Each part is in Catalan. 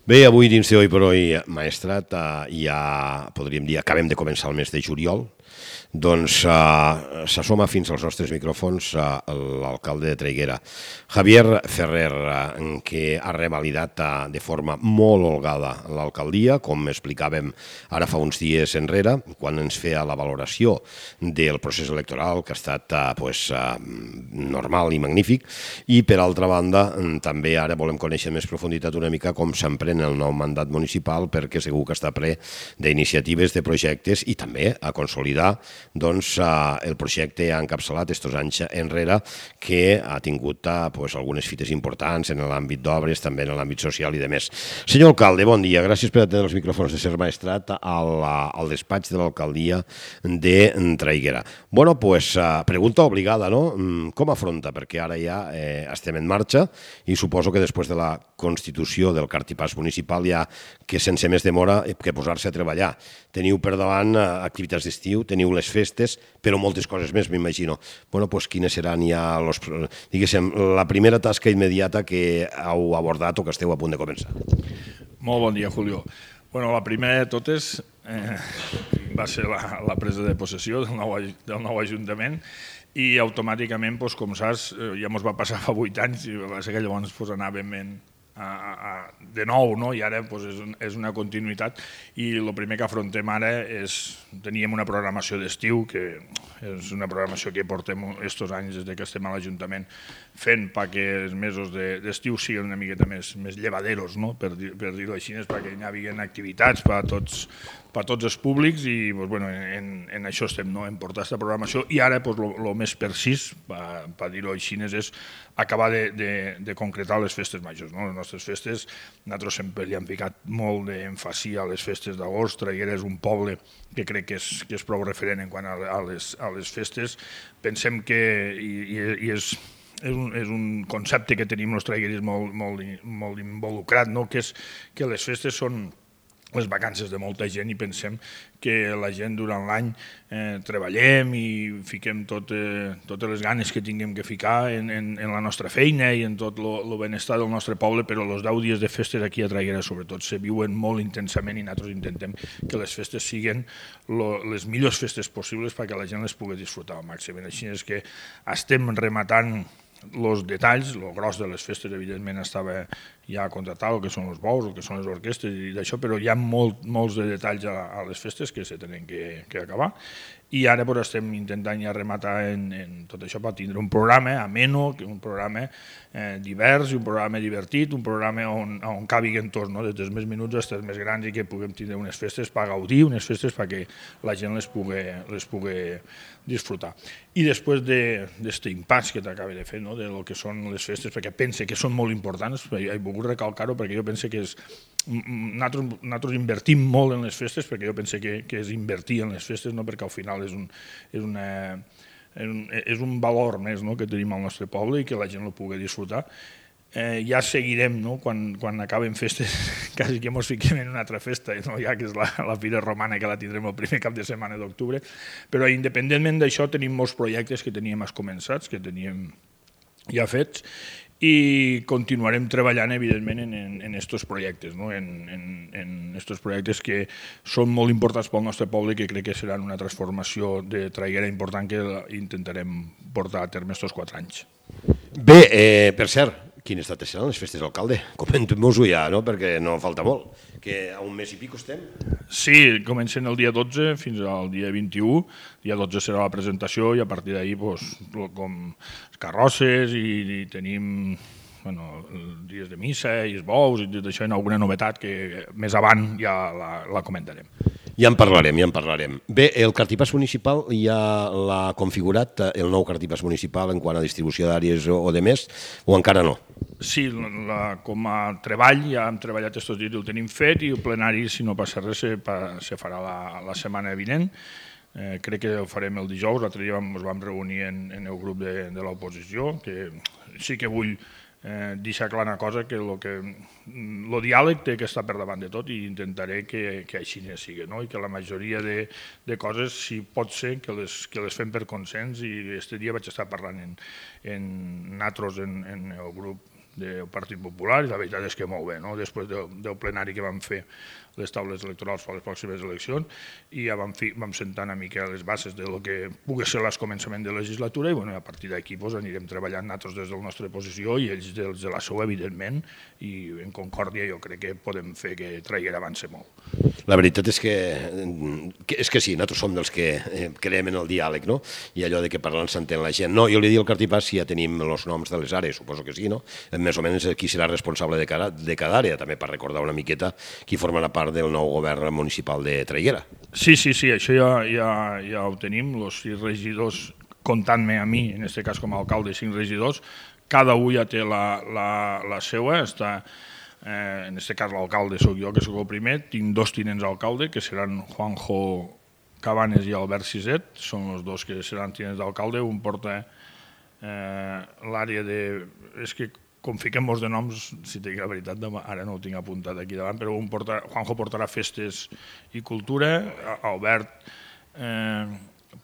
Bé, avui dins de Hoy por Hoy, Maestrat, ja podríem dir, acabem de començar el mes de juliol, doncs s'assoma fins als nostres micròfons l'alcalde de Traiguera, Javier Ferrer, que ha revalidat de forma molt holgada l'alcaldia, com explicàvem ara fa uns dies enrere, quan ens feia la valoració del procés electoral, que ha estat normal i magnífic, i per altra banda també ara volem conèixer més profunditat una mica com s'emprèn el nou mandat municipal, perquè segur que està ple d'iniciatives, de projectes, i també a consolidar el projecte ha encapçalat estos anys enrere, que ha tingut algunes fites importants en l'àmbit d'obres, també en l'àmbit social i de més. Senyor alcalde, bon dia. Gràcies per atendre els micròfons de Ser Maestrat al despatx de l'alcaldia de Traiguera. Bueno, pues pregunta obligada, no? Com afronta? Perquè ara ja estem en marxa i suposo que després de la constitució del cartipàs municipal ja que sense més demora que posar-se a treballar. Teniu per davant activitats d'estiu, teniu les festes, però moltes coses més, m'imagino. Bueno, doncs quines seran ja la primera tasca immediata que heu abordat o que esteu a punt de començar? Molt bon dia, Julio. Bueno, la primera de totes va ser la presa de possessió del nou Ajuntament i automàticament, com saps, ja ens va passar fa 8 anys i va ser que llavors anàvem de nou, i ara és una continuïtat, i el primer que afrontem ara és, teníem una programació d'estiu, que és una programació que portem estos anys des que estem a l'Ajuntament fent perquè els mesos d'estiu siguin una miqueta més llevaderos, per dir-ho així, perquè hi havia activitats per a tots els públics i en això estem, en portar aquesta programació, i ara el més precís, per dir-ho així, és acabar de concretar les festes majors. Les nostres festes, nosaltres sempre li hem ficat molt d'èmfasi a les festes d'agost. Traiguera és un poble que crec que és prou referent en quant a les festes. Pensem que, i és un concepte que tenim els traigueris molt involucrat, que és que les festes són les vacances de molta gent i pensem que la gent durant l'any treballem i fiquem totes les ganes que tinguem que ficar en la nostra feina i en tot el benestar del nostre poble, però els 10 dies de festes aquí a Traiguera sobretot se viuen molt intensament i nosaltres intentem que les festes siguin les millors festes possibles perquè la gent les pugui disfrutar al màxim. Així és que estem rematant els detalls, el gros de les festes evidentment estava ja contratat, el que són els bous, el que són les orquestres i d'això, però hi ha molts de detalls a les festes que se tenen que acabar i ara estem intentant ja rematar en tot això per tindre un programa ameno, un programa divers i un programa divertit, un programa on cabiguen tots, des dels més menuts als més grans i que puguem tindre unes festes per gaudir, unes festes perquè la gent les pugui disfrutar. I després d'aquest impàs que t'acaba de fer, de lo que són les festes, perquè pense que són molt importants, he volgut recalcar-ho perquè jo pense que nosaltres invertim molt en les festes, perquè jo pense que és invertir en les festes, perquè al final és un valor més que tenim al nostre poble i que la gent el pugui disfrutar. Ja seguirem, quan acaben festes, quasi que ens fiquem en una altra festa, ja que és la Fira Romana, que la tindrem el primer cap de setmana d'octubre, però independentment d'això tenim molts projectes que teníem començats, que teníem ja fets, i continuarem treballant evidentment en aquests projectes, en aquests projectes que són molt importants pel nostre poble i que crec que seran una transformació de Traiguera important que intentarem portar a terme aquests 4 anys. Bé, per cert, quines dates seran les festes, alcalde? Comentem-nos-ho ja, perquè no falta molt, que a un mes i pico estem. Sí, comencen el dia 12 fins al dia 21, el dia 12 serà la presentació i a partir d'ahir com carrosses i tenim dies de missa i els bous i tot això, en alguna novetat que més avant ja la comentarem. Ja en parlarem. Bé, el cartipàs municipal ja l'ha configurat, el nou cartipàs municipal, en quant a distribució d'àrees o de més, o encara no? Sí, com a treball ja hem treballat aquests dies i el tenim fet i el plenari, si no passa res, se farà la setmana vinent. Crec que ho farem el dijous, l'altre dia ens vam reunir en el grup de l'oposició, que sí que vull deixar clar una cosa, que el diàleg té que estar per davant de tot i intentaré que així sigui, i que la majoria de coses, si pot ser, que les fem per consens, i aquest dia vaig estar parlant en nosaltres, en el grup del Partit Popular i la veritat és que molt bé, no? Després del plenari que vam fer les taules electorals per a les pròximes eleccions i ja vam sentar una mica les bases del que pugui ser el començament de legislatura i a partir d'aquí anirem treballant nosaltres des de la nostra posició i ells des de la seva, evidentment, i en concòrdia jo crec que podem fer que Traiguera avanci molt. La veritat és que sí, nosaltres som dels que creiem en el diàleg, no? I allò de que parlant s'entén la gent. No, jo li dic al Cartipàs si ja tenim els noms de les àrees, suposo que sí, no? Més o menys qui serà responsable de cada àrea, també per recordar una miqueta qui formarà part del nou govern municipal de Traiguera. Sí, això ja ho tenim, els 6 regidors, comptant-me a mi, en aquest cas com a alcalde, 5 regidors, cada un ja té la seva, en aquest cas l'alcalde soc jo, que soc el primer, tinc 2 tinents d'alcalde, que seran Juanjo Cabanes i Albert Siset, són els 2 que seran tinents d'alcalde, un porta l'àrea de... És que com fiquem molts de noms, si t'he dit la veritat, ara no ho tinc apuntat aquí davant, però Juanjo portarà festes i cultura, Albert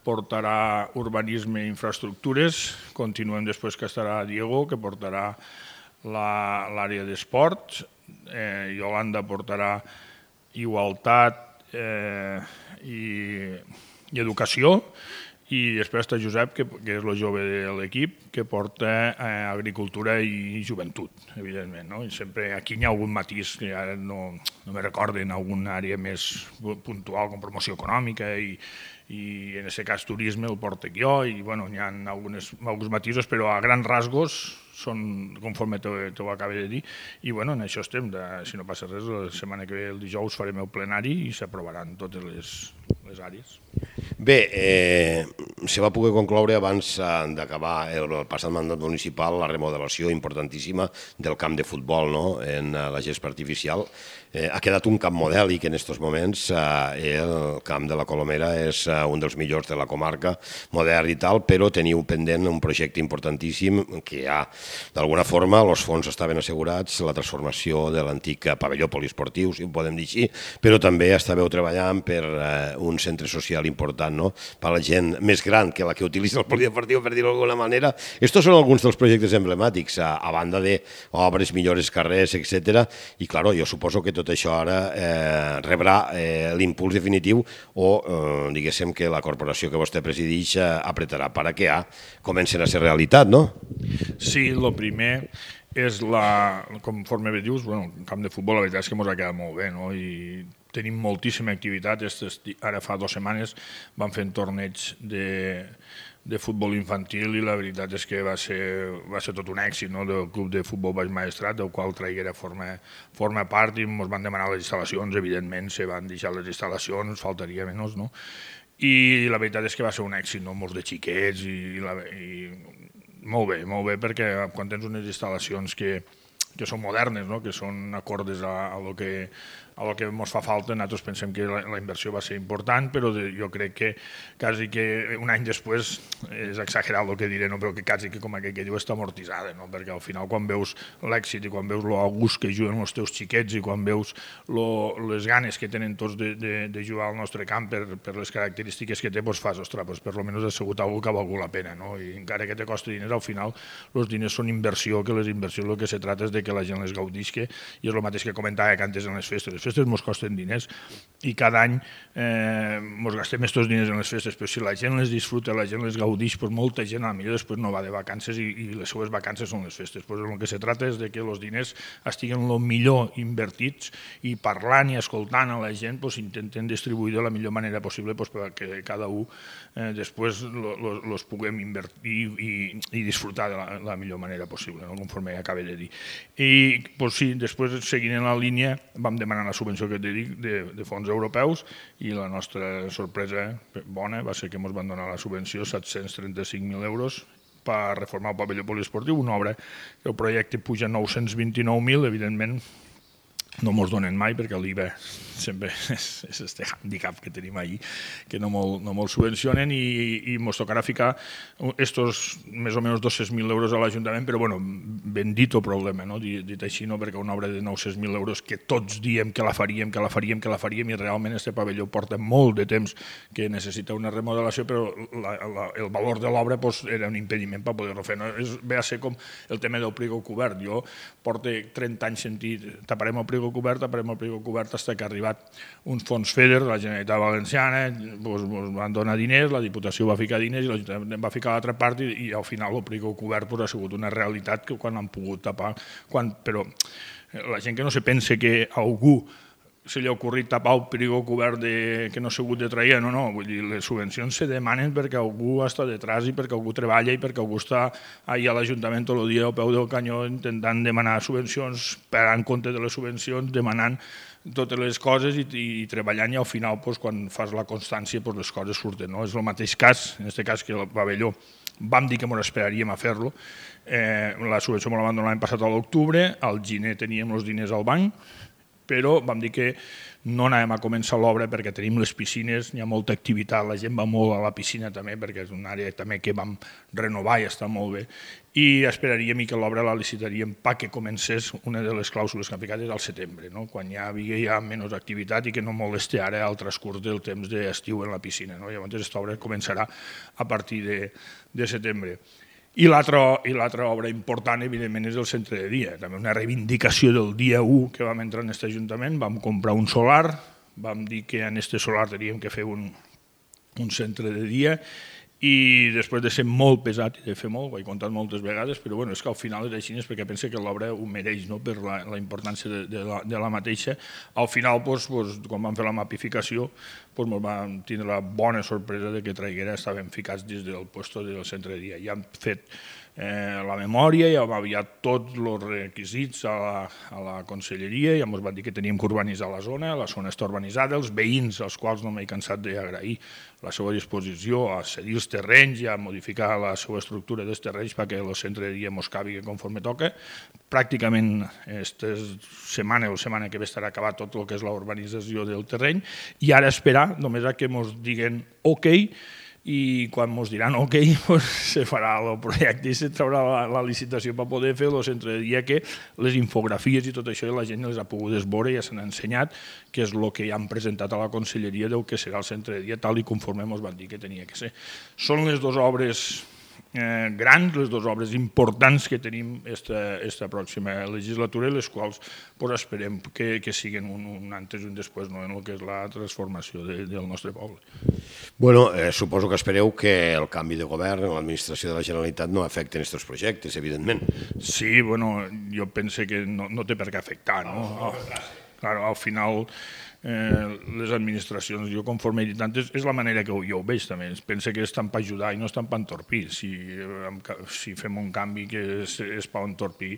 portarà urbanisme i infraestructures, continuem després que estarà Diego, que portarà l'àrea d'esports, Yolanda portarà igualtat i educació, i després està Josep, que és el jove de l'equip, que porta agricultura i joventut, evidentment. I sempre aquí hi ha algun matís que ara no me recorden, alguna àrea més puntual com promoció econòmica i en aquest cas turisme el portec jo i hi ha alguns matisos, però a grans rasgos són conforme t'ho acabo de dir i en això estem, si no passa res, la setmana que ve el dijous farem el plenari i s'aprovaran totes les àrees. Bé, se va poder concloure abans d'acabar el passat mandat municipal la remodelació importantíssima del camp de futbol en la gespa artificial. Ha quedat un camp modèlic en aquests moments, el camp de la Colomera és un dels millors de la comarca, modern i tal, però teniu pendent un projecte importantíssim que ja, d'alguna forma, els fons estaven assegurats, la transformació de l'antic pavelló poliesportiu, si ho podem dir així, però també estàveu treballant per un centre social important, per a la gent més gran que la que utilitza el poliesportiu, per dir-ho d'alguna manera. Estos són alguns dels projectes emblemàtics, a banda d'obres, millores carrers, etc. I, clar, jo suposo que tot això ara rebrà l'impuls definitiu o, diguéssim, que la corporació que vostè presideix apretarà perquè comencen a ser realitat, no? Sí, el primer és, conforme bé dius, el camp de futbol la veritat és que ens ha quedat molt bé, i tenim moltíssima activitat. Ara fa 2 setmanes vam fer un torneig de futbol infantil i la veritat és que va ser tot un èxit del club de futbol Baix Maestrat, del qual Traiguera forma part i ens van demanar les instal·lacions, evidentment se van deixar les instal·lacions, faltaria menys, i la veritat és que va ser un èxit, molts de xiquets i molt bé, perquè quan tens unes instal·lacions que són modernes, que són acordes a lo que ens fa falta, nosaltres pensem que la inversió va ser important, però jo crec que quasi que un any després, és exagerat el que diré, però que quasi que com aquell que diu està amortitzada, perquè al final quan veus l'èxit i quan veus el gust que juguen els teus xiquets i quan veus les ganes que tenen tots de jugar al nostre camp per les característiques que té, doncs fas, ostres, per almenys ha sigut alguna que ha valgut la pena, i encara que te costi diners, al final els diners són inversió, que les inversions el que se trata és de que la gent les gaudisca, i és el mateix que comentava que antes en les festes. Les festes ens costen diners i cada any ens gastem aquests diners en les festes, però si la gent les disfruta, la gent les gaudix, doncs molta gent potser després no va de vacances i les seues vacances són les festes. El que se trata és que els diners estiguen el millor invertits i parlant i escoltant a la gent intenten distribuir de la millor manera possible perquè cada un després els puguem invertir i disfrutar de la millor manera possible, conforme acabo de dir. I sí, després seguint en la línia vam demanar la subvenció que t'he dit de fons europeus i la nostra sorpresa bona va ser que ens van donar la subvenció 735.000 euros per reformar el pavelló poliesportiu, una obra que el projecte puja 929.000, evidentment no mos donen mai perquè l'IVA sempre és este handicap que tenim ahí, que no mos subvencionen i mos tocarà ficar estos més o menys 200.000 euros a l'Ajuntament, però bueno, bendito problema, no? Dit així, no? Perquè una obra de 900.000 euros que tots diem que la faríem i realment este pavelló porta molt de temps que necessita una remodelació, però el valor de l'obra era un impediment per poder-ho fer. Ve a ser com el tema del prego cobert. Jo porto 30 anys sentint taparem el prego cobert fins que ha arribat uns fons FEDER de la Generalitat Valenciana, ens van donar diners, la Diputació va ficar diners i l'Ajuntament va ficar l'altra part i al final el prego cobert ha sigut una realitat que quan han pogut tapar, però la gent que no se pensa que a algú se li ha ocorrit tapar el prego cobert que no s'ha hagut de trair, no, vull dir, les subvencions se demanen perquè algú està detrás i perquè algú treballa i perquè algú està allà a l'Ajuntament tot el dia al peu del canyó intentant demanar subvencions, pagant compte de les subvencions, demanant totes les coses i treballant i al final quan fas la constància les coses surten. És el mateix cas, en aquest cas que el pavelló vam dir que ens esperaríem a fer-lo, la subvenció me la van donar l'any passat a l'octubre, al gener teníem els diners al banc, però vam dir que no anàvem a començar l'obra perquè tenim les piscines, hi ha molta activitat, la gent va molt a la piscina també perquè és una àrea també que vam renovar i està molt bé i esperaríem que l'obra la licitaríem perquè comencés una de les clàusules que han ficat al setembre, quan hi havia menys activitat i que no molesti ara el transcurs del temps d'estiu en la piscina. Llavors aquesta obra començarà a partir de setembre. I l'altra obra important, evidentment, és el centre de dia. També una reivindicació del dia 1 que vam entrar en aquest Ajuntament. Vam comprar un solar, vam dir que en aquest solar teníem que fer un centre de dia i després de ser molt pesat i de fer molt, ho he contat moltes vegades, però és que al final és així, perquè penso que l'obra ho mereix per la importància de la mateixa. Al final, quan vam fer la mapificació, vam tindre la bona sorpresa que Traiguera estaven ficats dins del lloc del centre de dia. Ja han fet la memòria, ja hem aviat tots els requisits a la conselleria, ja ens van dir que teníem que urbanitzar la zona està urbanitzada, els veïns, als quals no m'he cansat d'agrair la seva disposició a cedir els terrenys i a modificar la seva estructura dels terrenys perquè el centre de dia mos cabi conforme toca. Pràcticament aquesta setmana o setmana que ve estarà acabat tot el que és la urbanització del terreny i ara esperar només a que mos diguen ok i quan ens diran ok, se farà el projecte i se traurà la licitació per poder fer el centre de dia, que les infografies i tot això la gent les ha pogut veure i ja s'han ensenyat, que és el que ja han presentat a la conselleria del que serà el centre de dia tal i conforme ens van dir que tenia que ser. Són les dues obres grans, les dues obres importants que tenim aquesta pròxima legislatura i les quals esperem que siguin un antes i un després en el que és la transformació del nostre poble. Bueno, suposo que espereu que el canvi de govern en l'administració de la Generalitat no afecti aquests projectes, evidentment. Sí, bueno, jo penso que no té per què afectar, no? Al final les administracions, jo conforme he dit antes, és la manera que jo ho veig també, penso que estan per ajudar i no estan per entorpir. Si fem un canvi que és per entorpir,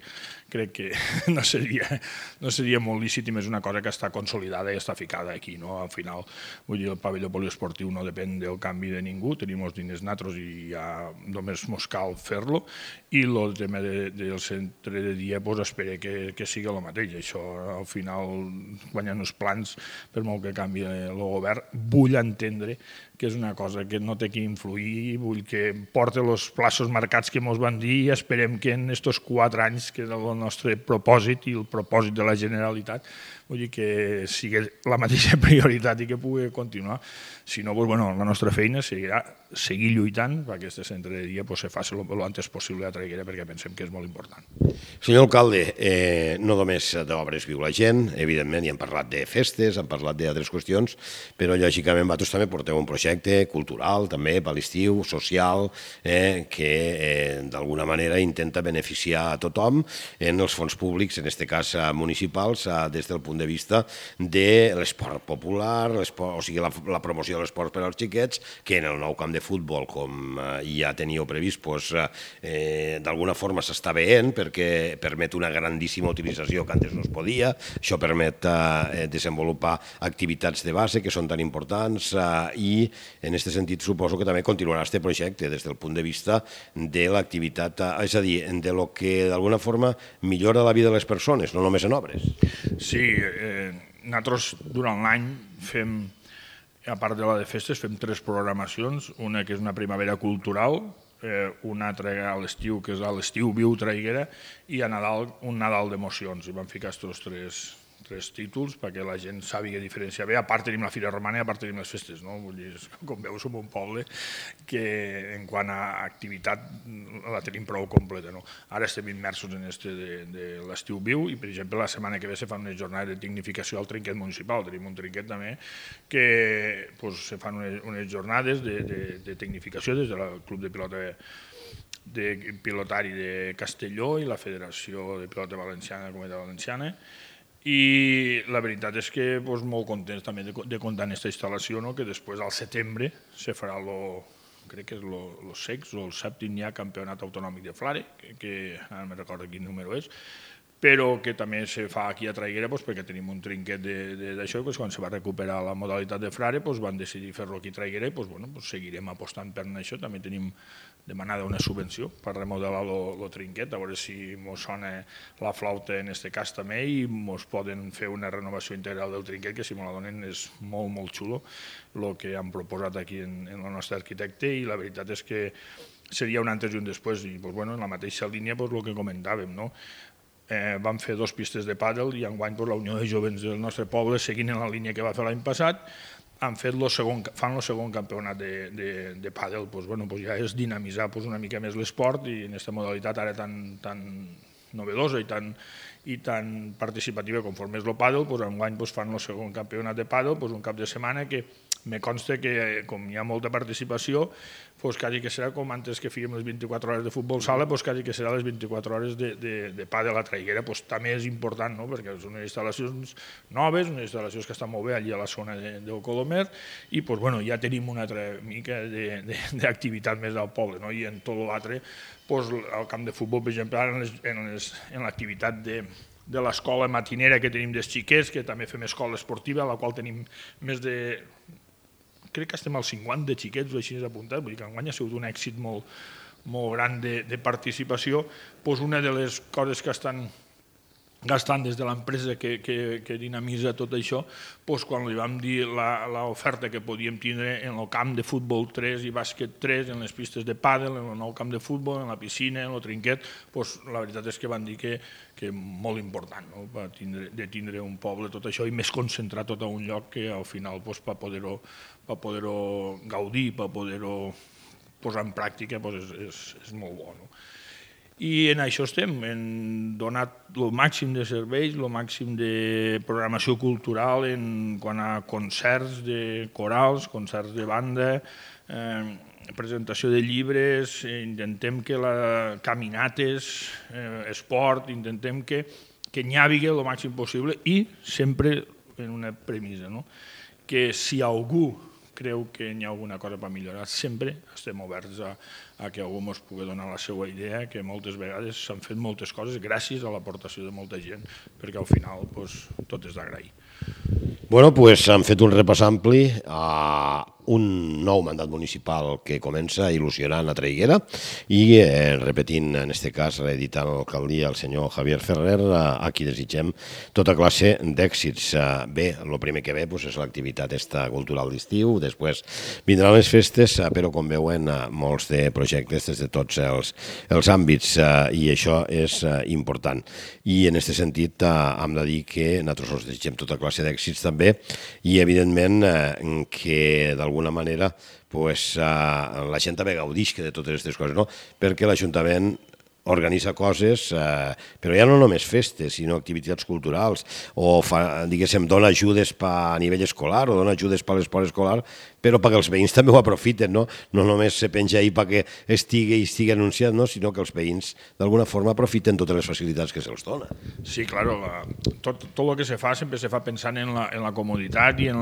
crec que no seria molt lícit i més una cosa que està consolidada i està ficada aquí. Al final, vull dir, el pavelló poliesportiu no depèn del canvi de ningú, tenim els diners nosaltres i ja només ens cal fer-lo i el tema del centre de dia espero que sigui el mateix. Això, al final, quan hi ha uns plans, per molt que canvi el govern, vull entendre que és una cosa que no té que influir, vull que porti els plaços marcats que ens van dir i esperem que en aquests 4 anys, que és el nostre propòsit i el propòsit de la Generalitat, vull dir que sigui la mateixa prioritat i que pugui continuar. Si no, la nostra feina serà seguir lluitant perquè aquest centre de dia se faci el antes possible a Traiguera perquè pensem que és molt important. Senyor alcalde, no només d'obres viu la gent, evidentment, ja hem parlat de festes, hem parlat d'altres qüestions, però lògicament vosaltres també porteu un projecte cultural, també, per l'estiu, social, que d'alguna manera intenta beneficiar a tothom en els fons públics, en aquest cas municipals, des del punt de vista de l'esport popular, o sigui, la promoció de l'esport per als xiquets, que en el nou camp de futbol, com ja teníeu previst, d'alguna forma s'està veient perquè permet una grandíssima utilització que antes no es podia. Això permet desenvolupar activitats de base que són tan importants i en aquest sentit suposo que també continuarà aquest projecte des del punt de vista de l'activitat, és a dir, de lo que d'alguna forma millora la vida de les persones, no només en obres. Sí, nosaltres durant l'any fem, a part de la de festes, fem 3 programacions, una que és una primavera cultural, una altra a l'estiu, que és a l'estiu Viu Traiguera, i a Nadal un Nadal d'emocions. I vam ficar aquests 3 títols perquè la gent sàpiga diferenciar bé. A part tenim la Fira Romana i a part tenim les festes, no? Vull dir, com veus, som un poble que en quant a activitat la tenim prou completa, no? Ara estem immersos en de l'estiu Viu i, per exemple, la setmana que ve se fan unes jornades de tecnificació al trinquet municipal. Tenim un trinquet també que se fan unes jornades de tecnificació des del Club de Pilota de Pilotari de Castelló i la Federació de Pilota Valenciana de la Comunitat Valenciana. I la veritat és que molt contents també de comptar en aquesta instal·lació, que després al setembre se farà crec que és el 6 o el 7è ja campionat autonòmic de Flare, que ara no recordo quin número és, però que també se fa aquí a Traiguera perquè tenim un trinquet d'això i quan se va recuperar la modalitat de Frare van decidir fer-lo aquí a Traiguera i seguirem apostant per això. També tenim demanada una subvenció per remodelar el trinquet, a veure si ens sona la flauta en aquest cas també i ens poden fer una renovació integral del trinquet, que si me la donen és molt, molt xulo el que han proposat aquí en el nostre arquitecte, i la veritat és que seria un antes i un després, i en la mateixa línia el que comentàvem, no? Vam fer 2 pistes de pàdel i enguany la Unió de Jovents del nostre poble, seguint en la línia que va fer l'any passat, fan el segon campionat de pàdel. Ja és dinamitzar una mica més l'esport, i en aquesta modalitat ara tan novedosa i tan participativa conforme és el pàdel, enguany fan el segon campionat de pàdel, un cap de setmana que me consta que, com hi ha molta participació, quasi que serà com antes que fèiem les 24 hores de futbol sala, quasi que serà les 24 hores de pàdel a Traiguera. També és important, perquè són unes instal·lacions noves, unes instal·lacions que estan molt bé allà a la zona del Colomer, i ja tenim una altra mica d'activitat més al poble, i en tot l'altre, al camp de futbol, per exemple, ara en l'activitat de l'escola matinera que tenim dels xiquets, que també fem escola esportiva, a la qual tenim més de... crec que estem al 50 de xiquets o així apuntats, vull dir que enguany ha sigut un èxit molt gran de participació. Una de les coses que estan gastant des de l'empresa que dinamitza tot això, quan li vam dir l'oferta que podíem tindre en el camp de futbol 3 i bàsquet 3, en les pistes de pàdel, en el nou camp de futbol, en la piscina, en el trinquet, la veritat és que van dir que molt important de tindre un poble tot això i més concentrar tot a un lloc, que al final per poder-ho gaudir, per poder-ho posar en pràctica és molt bo. I en això estem, hem donat el màxim de serveis, el màxim de programació cultural en quant a concerts de corals, concerts de banda, presentació de llibres, intentem que caminates, esport, intentem que n'hi hagi el màxim possible, i sempre en una premissa, que si algú creu que hi ha alguna cosa per millorar, sempre estem oberts a que algú ens pugui donar la seva idea, que moltes vegades s'han fet moltes coses gràcies a l'aportació de molta gent, perquè al final tot és d'agrair. Bueno, doncs hem fet un repàs ampli a un nou mandat municipal que comença il·lusionant a Traiguera i repetint, en aquest cas, reeditant l'alcaldia el senyor Javier Ferrer, a qui desitgem tota classe d'èxits. Bé, el primer que ve és l'activitat cultural d'estiu, després vindran les festes, però com veuen, molts de projectes des de tots els àmbits, i això és important. I en aquest sentit hem de dir que nosaltres us desitgem tota classe d'èxits també, i evidentment que d'alguna manera la gent també gaudisca de totes aquestes coses, perquè l'Ajuntament organitza coses, però ja no només festes, sinó activitats culturals, o dona ajudes a nivell escolar o dona ajudes per l'esport escolar, però perquè els veïns també ho aprofiten, no només se penja ahir perquè estigui anunciat, sinó que els veïns d'alguna forma aprofiten totes les facilitats que se'ls dona. Sí, claro, tot el que se fa sempre se fa pensant en la comoditat i en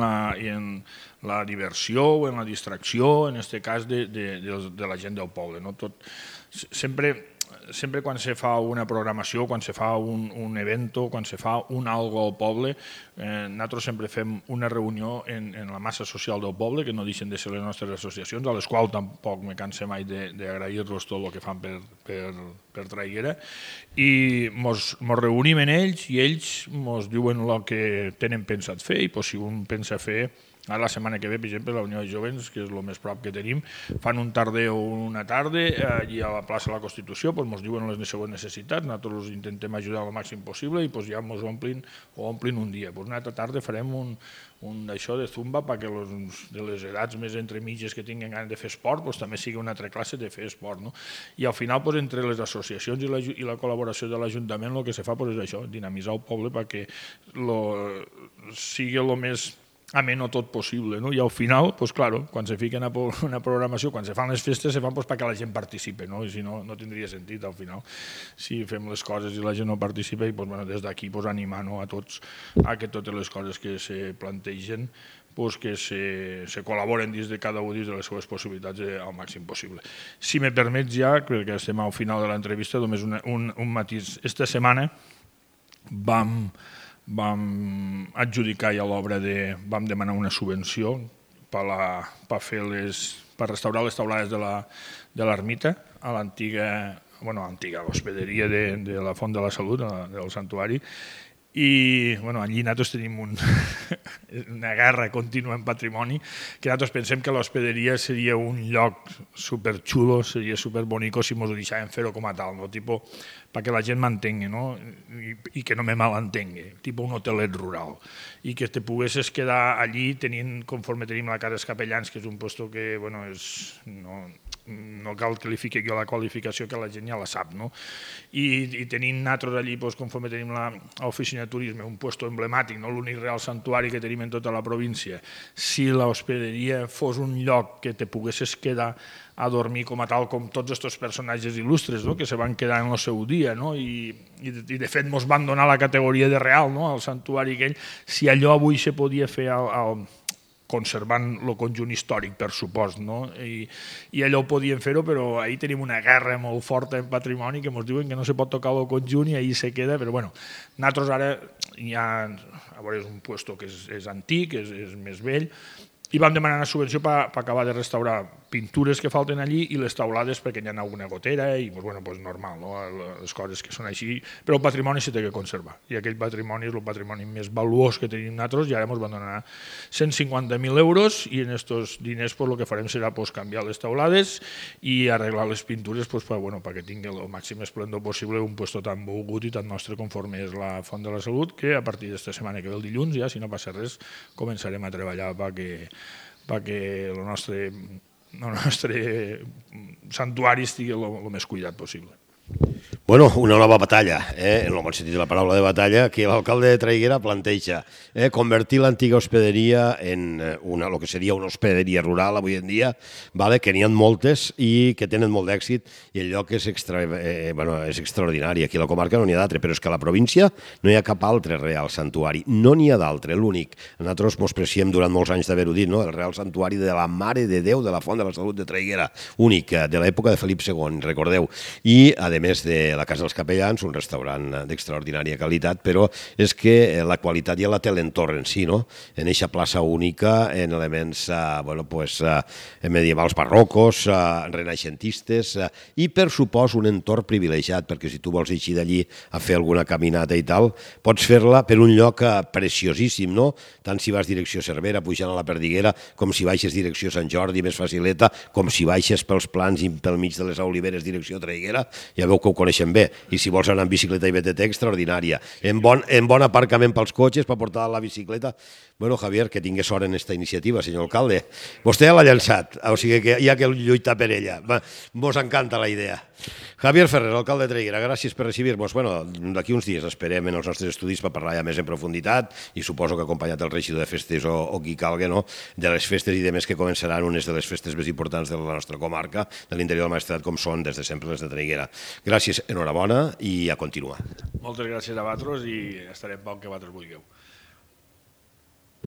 la diversió o en la distracció, en aquest cas de la gent del poble. Sempre sempre quan se fa una programació, quan se fa un evento, quan se fa un algo al poble, nosaltres sempre fem una reunió en la massa social del poble, que no deixen de ser les nostres associacions, a les quals tampoc me canse mai d'agrair-los tot el que fan per Traiguera, i mos reunim en ells i ells mos diuen el que tenen pensat fer, i si un pensa fer. Ara la setmana que ve, per exemple, la Unió de Jovens, que és el més prop que tenim, fan un tarda o una tarda allí a la plaça de la Constitució, ens diuen les següents necessitats, nosaltres intentem ajudar al màxim possible i ja ens omplin un dia. Una altra tarda farem un d'això de zumba perquè de les edats més entremitges que tinguin ganes de fer esport també sigui una altra classe de fer esport. I al final, entre les associacions i la col·laboració de l'Ajuntament, el que se fa és això, dinamitzar el poble perquè sigui el més ameno tot possible, i al final, quan se fica una programació, quan se fan les festes, se fan perquè la gent participi, i si no, no tindria sentit al final. Si fem les coses i la gent no participa, i des d'aquí animar a tots a que totes les coses que se plantegen que se col·laboren dins de cada un dins de les seves possibilitats al màxim possible. Si me permets ja, crec que estem al final de l'entrevista, només un matís. Esta setmana vam adjudicar ja l'obra vam demanar una subvenció per restaurar les taulades de l'ermita a l'antiga hospederia de la Font de la Salut, del santuari, i allí nosaltres tenim una guerra contínua en patrimoni, que nosaltres pensem que l'hospederia seria un lloc superxulo, seria superbonico si ens ho deixàvem fer-ho com a tal, perquè la gent m'entengui i que no me malentengui, tipus un hotelet rural, i que te poguessis quedar allí conforme tenim la Casa dels Capellans, que és un lloc que no cal que li fiqui jo la qualificació, que la gent ja la sap, i tenint nosaltres allí, conforme tenim l'oficina de turisme, un lloc emblemàtic, l'únic real santuari que tenim en tota la província, si l'hospederia fos un lloc que te poguessis quedar a dormir com a tal, com tots aquests personatges il·lustres que se van quedar en el seu dia, i de fet ens van donar la categoria de real al santuari aquell, si allò avui se podia fer conservant el conjunt històric, per supost, i allò ho podíem fer-ho, però ahir tenim una guerra molt forta en patrimoni que ens diuen que no se pot tocar el conjunt i ahir se queda, però nosaltres ara ja, és un lloc que és antic, és més vell, i vam demanar una subvenció per acabar de restaurar pintures que falten allí i les taulades perquè hi ha alguna gotera i normal, les coses que són així, però el patrimoni s'ha de conservar i aquell patrimoni és el patrimoni més valuós que tenim nosaltres i ara ens van donar 150.000 euros i en aquests diners el que farem serà canviar les taulades i arreglar les pintures perquè tingui el màxim esplendor possible un lloc tan volgut i tan nostre conforme és la Font de la Salut, que a partir d'esta setmana que ve el dilluns, ja si no passa res, començarem a treballar perquè el nostre santuari estigui el més cuidat possible. Bueno, una nova batalla, en el bon sentit de la paraula de batalla, que l'alcalde de Traiguera planteja, convertir l'antiga hospederia en el que seria una hospederia rural avui en dia, que n'hi ha moltes i que tenen molt d'èxit i el lloc és extraordinari. Aquí a la comarca no n'hi ha d'altre, però és que a la província no hi ha cap altre real santuari, no n'hi ha d'altre, l'únic. Nosaltres ens preciem durant molts anys d'haver-ho dit, el real santuari de la Mare de Déu de la Font de la Salut de Traiguera, únic, de l'època de Felip II, recordeu, i a més de la Casa dels Capellans, un restaurant d'extraordinària qualitat, però és que la qualitat ja la té l'entorn en si, en eixa plaça única, en elements medievals barrocos, renaixentistes, i per supòs un entorn privilegiat, perquè si tu vols eixir d'allí a fer alguna caminata i tal, pots fer-la per un lloc preciosíssim, tant si vas direcció Cervera, pujant a la Perdiguera, com si baixes direcció Sant Jordi, més facileta, com si baixes pels plans i pel mig de les Oliveres, direcció Traiguera, ja veu que ho coneixem bé, i si vols anar en bicicleta i BTT, extraordinària. En bon aparcament pels cotxes per portar la bicicleta. Bueno, Javier, que tingués sort en aquesta iniciativa, senyor alcalde. Vostè ja l'ha llançat, o sigui que hi ha que lluitar per ella. Vos encanta la idea. Javier Ferrer, alcalde de Traiguera, gràcies per recibir-nos. Bueno, d'aquí uns dies esperem en els nostres estudis per parlar ja més en profunditat i suposo que acompanyat del regidor de festes o qui calgui, de les festes i de més que començaran unes de les festes més importants de la nostra comarca, de l'interior del Maestrat, com són des de sempre les de Traiguera. Gràcies, enhorabona i a continuar. Moltes gràcies a vosaltres i estarem pel que vosaltres vulgueu.